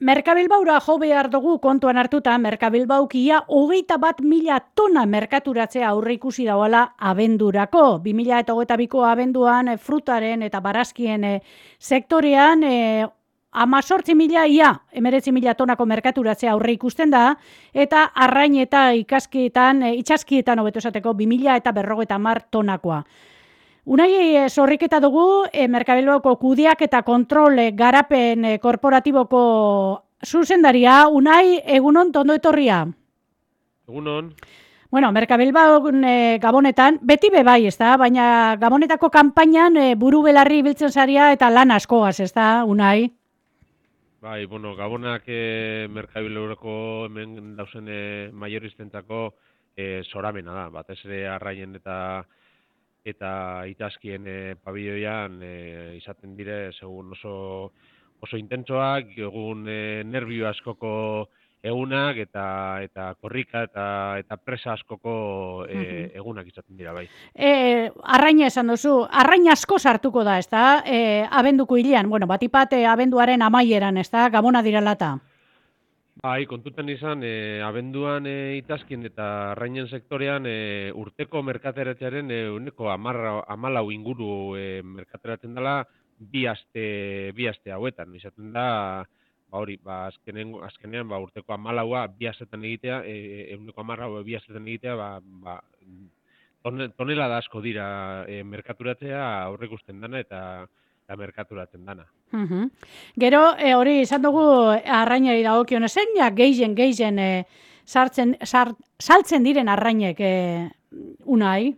Merkabilbaura jo behar dugu kontuan hartuta, Merkabilbaukia 21.000 tona merkaturatzea aurre ikusi dauala abendurako. 2022ko abenduan frutaren eta barazkien sektorean 18.000 ia 19.000 tonako merkaturatzea aurre ikusten da, eta arrain eta itsaskietan hobeto esateko 2.050 tonakoa. Unai zorriketa dugu, Merkabilbauko kudeak eta kontrol garapen korporatiboko zuzendaria. Unai, egunon, tondo etorria. Egunon. Bueno, Merkabilbaun Gabonetan, beti bebai, ez da? Baina Gabonetako kanpainan buru belarri biltzen zaria eta lan askoaz, ez da, Unai? Bai, bueno, Gabonak Merkabilbaurako hemen dauzen maioristentzako soramena da. Batez ere arraien eta itazkien pabiloian izaten dire segun oso intentsoak, egun nervio askoko egunak eta korrika eta presa askoko egunak izaten dira, bai. Arraina esan duzu, arrain asko sartuko da, ez da? Abenduko hilean, bueno, batipat abenduaren amaieran, ez da? Gabona direlata. Bai, kontutan izan, abenduan itazkien eta arrainen sektorean urteko merkateratzearen ehuneko 14 inguru merkateratzen dela bi aste hauetan. Izaten da, azkenean urteko 14a bi astetan egitea, ehuneko 10 bi astetan egitea, tonelada asko dira merkaturatzea aurreikusten dana eta merkaturatzen dana. Gero, hori izan dugu arrainari dagokion zein ja gehien saltzen diren arrainek, Unai?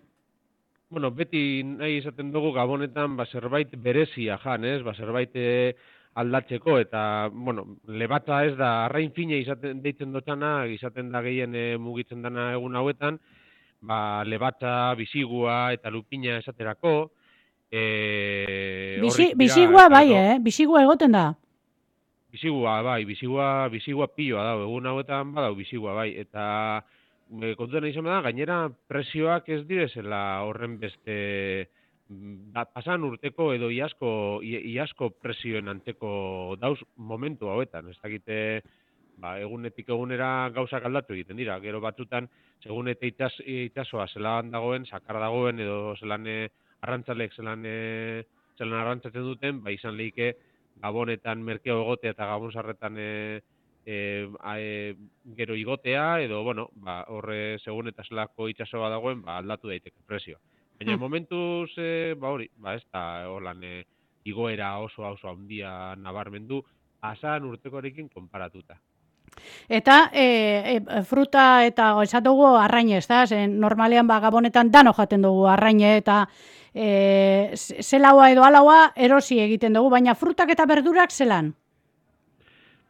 Bueno, beti nahi izaten dugu Gabonetan zerbait berezia jan, ez? Zerbait aldatzeko eta, bueno, lebata ez da arrain fine izaten deitzen dutxana, izaten da gehien mugitzen dana egun hauetan, lebata, bisigua eta lupina esaterako. Bisigua bai, bisigua egoten da. Bisigua, bai, bisigua piloa da, egun hauetan badau bisigua, bai, eta kontuan izan da, gainera presioak ez direzela horren beste pasan urteko edo iazko presioen anteko dauz momentu hauetan, ez dakite egunetik egunera gauzak aldatu egiten dira, gero batzutan, segun eta itsasoa zelan dagoen, sakar dagoen edo zelan arrantzalek zelan arrantzatzen duten, izan lehike Gabonetan merkeo egotea eta Gabon sarretan gero igotea, edo, bueno, horre segun eta zelako itsasoa dagoen, aldatu daiteke presio. Baina momentuz, ez da holan igoera oso handia nabarmendu, pasan urtekoarekin konparatuta. Eta fruta eta esan dugu arraine, ez da? Normalean Gabonetan dano jaten dugu arraine eta zelaua edo alaua erosi egiten dugu, baina frutak eta berdurak zelan?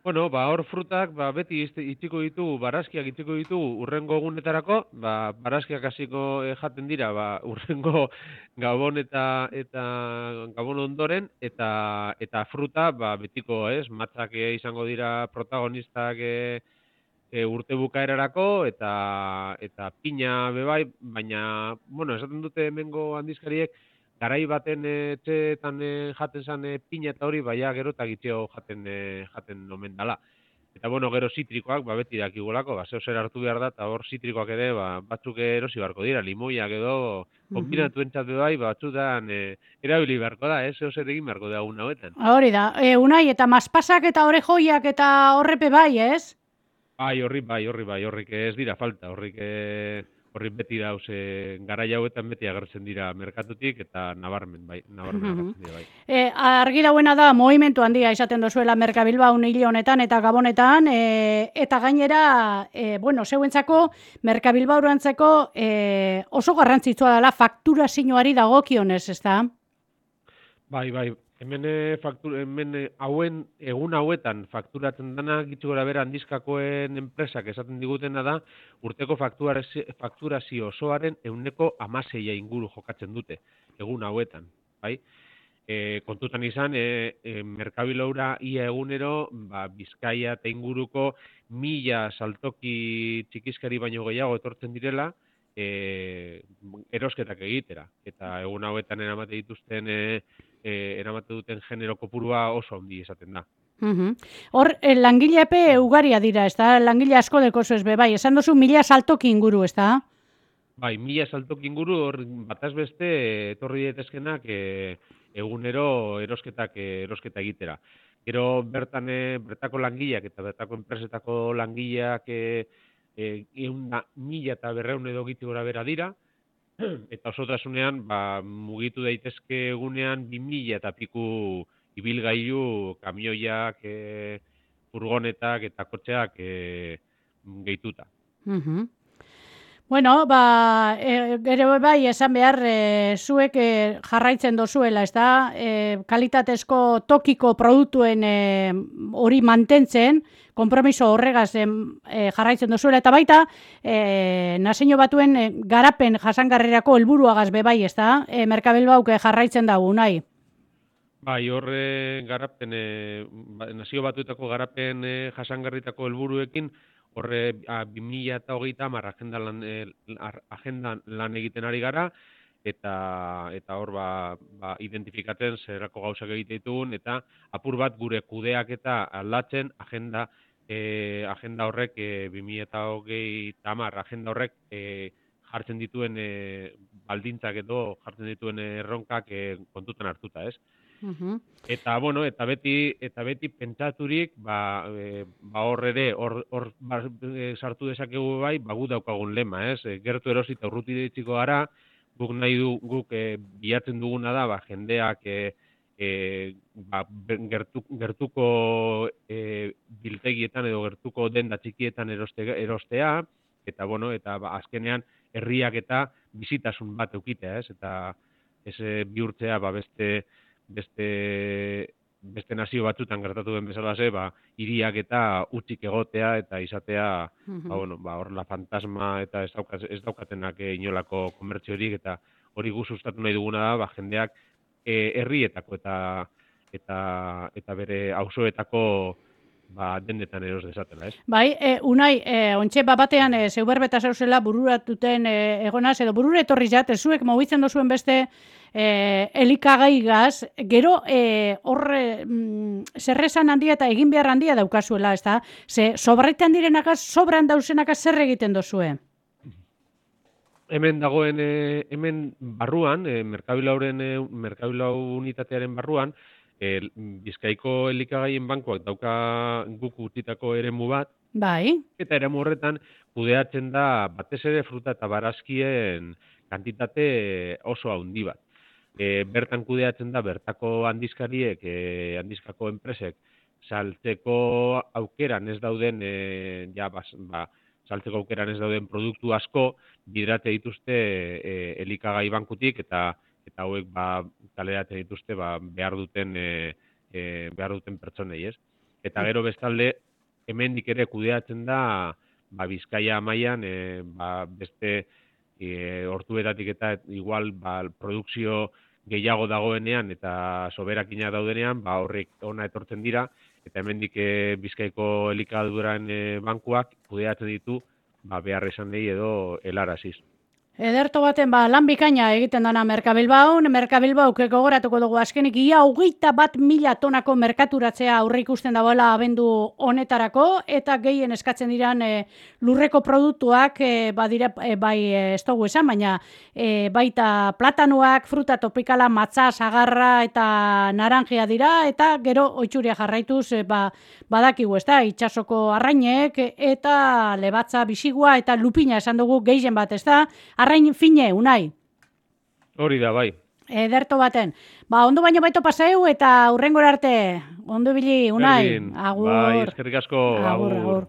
Bueno, hor frutak beti itxiko ditugu, barazkiak itxiko ditugu urrengo egunetarako, barazkiak hasiko jaten dira urrengo Gabon eta Gabon ondoren, eta fruta betiko, ez, matzak izango dira protagonistak urte bukaerarako eta pina bebai, baina, bueno, esaten dute hemengo handizkariek, garai baten etxeetan jaten zan pina eta hori, gero eta gitxeo jaten omen dala. Eta, bueno, gero zitrikoak, beti dakigolako, zeo zer hartu behar da, eta hor zitrikoak ere, batzuk erosi beharko dira, limoiak edo, konbinatu entzat bai, batzutan erabili beharko da, zeo zer egin beharko da egun hauetan. Hori da, Unai, eta maspasak eta orejoiak eta horrepe bai, ez? Horrik ez dira falta, horrik beti dauz, garai hauetan beti agertzen dira merkatutik eta nabarmen agertzen dira, bai. Argi dauena da, movimentu handia izaten dozuela Merkabilbaun hile honetan eta Gabonetan, eta gainera, zeuentzako Merkabilbaurantzeko oso garrantzitsua dela fakturazioari dagokionez, ez da? Bai. Hemen egun hauetan fakturatzen dana gitzu gora bera handizkakoen enpresak esaten digutena da urteko fakturazio osoaren 16% inguru jokatzen dute egun hauetan, bai? Kontutan izan, Merkabilbaura ia egunero, Bizkaia eta inguruko 1000 saltoki txikizkari baino gehiago etortzen direla, erosketak egitera. Eta egun hauetan eramate duten genero kopurua oso handi esaten da. Hor, langilepe ugaria dira, ez da? Langile asko dekozu ez be, bai, esan duzu 1000 saltoki inguru, ez da? Bai, 1000 saltoki inguru, hor bataz beste etorri daitezkenak egunero erosketa egitera. Gero bertako langileak eta bertako enpresetako langileak 1000 eta 200 edo giti gora bera dira, eta osotasunean mugitu daitezke egunean 2000 eta piku ibilgailu, kamioiak, furgonetak eta kotxeak gehituta. Bueno, gero bai esan behar zuek jarraitzen dozuela, ez da? Kalitatezko tokiko produktuen hori mantentzen, konpromiso horregaz jarraitzen dozuela, eta baita Nazio Batuen garapen jasangarrirako helburuagaz be bai, ez da? Merkabilbauk jarraitzen dugu, nahi? Bai, horre garapen, Nazio Batuetako garapen jasangarritako helburuekin, horre 2030 agendan lan egiten ari gara, eta hor identifikatzen zerako gauzak egite ditugun, eta apur bat gure kudeak eta aldatzen agenda horrek 2030 agenda horrek jartzen dituen baldintzak edo jartzen dituen erronkak kontutan hartuta, ez? Eta bueno, eta beti pentsaturik, hor ere hor sartu dezakegu bai, gu daukagun lema, ez? Gertu erosi eta urruti iritsiko gara, guk bilatzen duguna da, jendeak gertuko biltegietan edo gertuko denda txikietan erostea, eta bueno, eta azkenean herriak eta bizitasun bat eukitea, ez? Eta ez bihurtzea beste nazio batzutan gertatu den bezalaze, hiriak eta utzik egotea eta izatea, hor la fantasma eta ez daukatenak inolako komertziorik, eta hori gu sustatu nahi duguna da, jendeak herrietako eta bere auzoetako dendetan eros dezatela, ez? Bai, Unai, ontxe batean zeuberbeta zauzela bururatuten egonaz, edo burure etorri jat, zuek mobitzen dozuen beste elikagaigaz, gero horre zerrezan handia eta egin behar handia daukazuela, ez da? Ze sobraitan direnakaz, sobran dauzenakaz zer egiten dozue? Hemen dagoen, hemen barruan, Merkabilau unitatearen barruan, Bizkaiko elikagaien bankuak dauka guk utzitako eremu bat, bai. Eta eremu horretan kudeatzen da batez ere fruta eta barazkien kantitate oso handi bat. Bertan kudeatzen da bertako handizkariek, handizkako enpresek, saltzeko aukeran ez dauden, saltzeko aukeran ez dauden produktu asko bidrate dituzte elikagai bankutik, eta hauek kaleratzen dituzte behar duten pertsonei, ez? Eta gero bestalde, hemendik ere kudeatzen da Bizkaia mailan beste hortuetatik eta igual produkzio gehiago dagoenean eta soberakina daudenean, horrek ona etortzen dira, eta hemendik Bizkaiko elikaduran bankuak kudeatzen ditu behar esan nahi edo helaraziz. Ederto baten lan bikaina egiten dana Merkabilbaun, Merkabilbauk gogoratuko dugu azkenik ia 21.000 tonako merkaturatzea aurre ikusten dagoela abendu honetarako, eta gehien eskatzen diran lurreko produktuak badira bai ez dugu esan, baina baita platanuak, fruta topikala, matza, sagarra eta naranjia dira, eta gero oitxuria jarraituz badakigu, ez da, itsasoko arrainek eta lebatza bisigua eta lupina esan dugu gehien bat, ez da, arrain fine, Unai. Hori da, bai. Ederto baten. Ondo baino baito paseu eta hurrengora arte. Ondo bili, Unai. Agur. Bai, eskerrik asko. Agur.